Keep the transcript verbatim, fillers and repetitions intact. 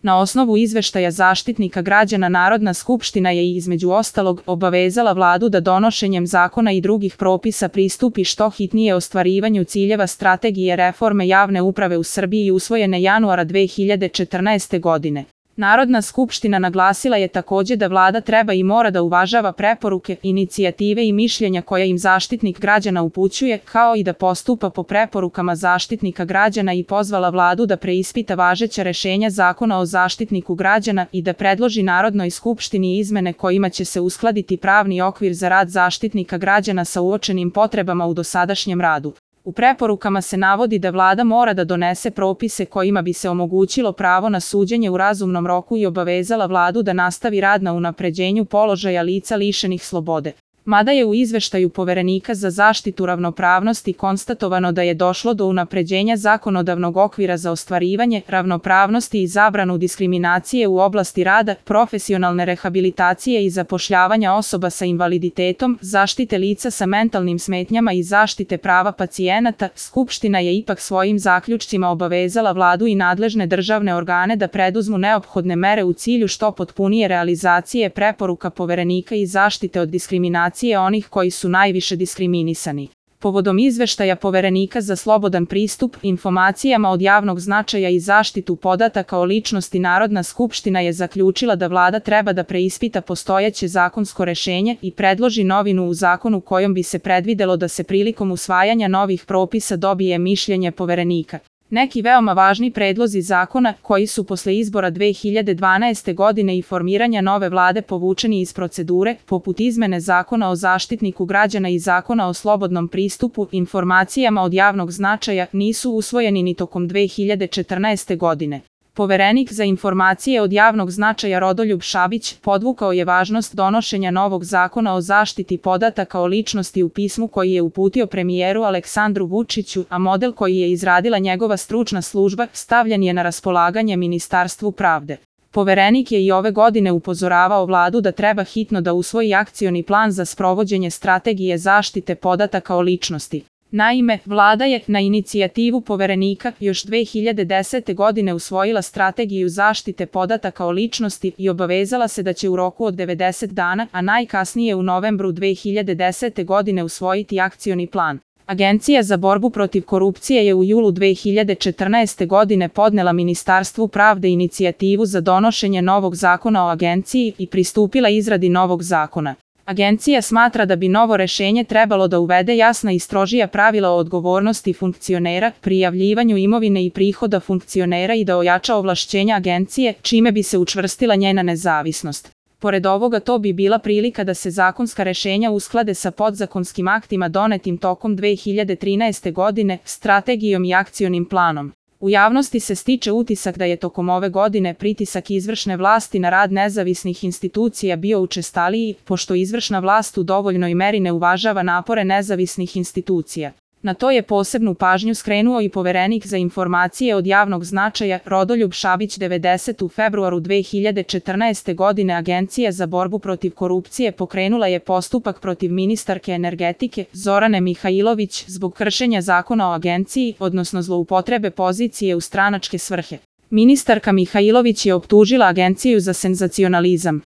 Na osnovu izveštaja Zaštitnika građana Narodna skupština je između ostalog obavezala vladu da donošenjem zakona i drugih propisa pristupi što hitnije ostvarivanju ciljeva strategije reforme javne uprave u Srbiji usvojene januara dve hiljade četrnaeste. godine. Narodna skupština naglasila je takođe da vlada treba i mora da uvažava preporuke, inicijative i mišljenja koja im Zaštitnik građana upućuje, kao i da postupa po preporukama Zaštitnika građana i pozvala vladu da preispita važeća rešenja Zakona o Zaštitniku građana i da predloži Narodnoj skupštini izmene kojima će se uskladiti pravni okvir za rad Zaštitnika građana sa uočenim potrebama u dosadašnjem radu. U preporukama se navodi da vlada mora da donese propise kojima bi se omogućilo pravo na suđenje u razumnom roku i obavezala vladu da nastavi rad na unapređenju položaja lica lišenih slobode. Mada je u izveštaju Poverenika za zaštitu ravnopravnosti konstatovano da je došlo do unapređenja zakonodavnog okvira za ostvarivanje ravnopravnosti i zabranu diskriminacije u oblasti rada, profesionalne rehabilitacije i zapošljavanja osoba sa invaliditetom, zaštite lica sa mentalnim smetnjama i zaštite prava pacijenata, Skupština je ipak svojim zaključcima obavezala vladu i nadležne državne organe da preduzmu neophodne mere u cilju što potpunije realizacije preporuka Poverenika i zaštite od diskriminacije onih koji su najviše diskriminisani. Povodom izveštaja Poverenika za slobodan pristup informacijama od javnog značaja i zaštitu podataka o ličnosti Narodna skupština je zaključila da vlada treba da preispita postojeće zakonsko rešenje i predloži novinu u zakonu kojom bi se predvidelo da se prilikom usvajanja novih propisa dobije mišljenje Poverenika. Neki veoma važni predlozi zakona, koji su posle izbora dve hiljade dvanaeste. godine i formiranja nove vlade povučeni iz procedure, poput izmene Zakona o Zaštitniku građana i Zakona o slobodnom pristupu informacijama od javnog značaja, nisu usvojeni ni tokom dve hiljade četrnaeste. godine. Poverenik za informacije od javnog značaja Rodoljub Šabić podvukao je važnost donošenja novog zakona o zaštiti podataka o ličnosti u pismu koji je uputio premijeru Aleksandru Vučiću, a model koji je izradila njegova stručna služba stavljen je na raspolaganje Ministarstvu pravde. Poverenik je i ove godine upozoravao vladu da treba hitno da usvoji akcioni plan za sprovođenje strategije zaštite podataka o ličnosti. Naime, vlada je, na inicijativu Poverenika, još dve hiljade desete. godine usvojila strategiju zaštite podataka o ličnosti i obavezala se da će u roku od devedeset dana, a najkasnije u novembru dve hiljade desete. godine usvojiti akcioni plan. Agencija za borbu protiv korupcije je u julu dve hiljade četrnaeste. godine podnela Ministarstvu pravde inicijativu za donošenje novog zakona o agenciji i pristupila izradi novog zakona. Agencija smatra da bi novo rešenje trebalo da uvede jasna i strožija pravila o odgovornosti funkcionera, prijavljivanju imovine i prihoda funkcionera i da ojača ovlašćenja agencije, čime bi se učvrstila njena nezavisnost. Pored ovoga, to bi bila prilika da se zakonska rešenja usklade sa podzakonskim aktima donetim tokom dve hiljade trinaeste. godine, strategijom i akcionim planom. U javnosti se stiče utisak da je tokom ove godine pritisak izvršne vlasti na rad nezavisnih institucija bio učestaliji, pošto izvršna vlast u dovoljnoj meri ne uvažava napore nezavisnih institucija. Na to je posebnu pažnju skrenuo i Poverenik za informacije od javnog značaja Rodoljub Šabić devedesete. u februaru dve hiljade četrnaeste. godine Agencija za borbu protiv korupcije pokrenula je postupak protiv ministarke energetike Zorane Mihajlović zbog kršenja zakona o agenciji, odnosno zloupotrebe pozicije u stranačke svrhe. Ministarka Mihajlović je optužila agenciju za senzacionalizam.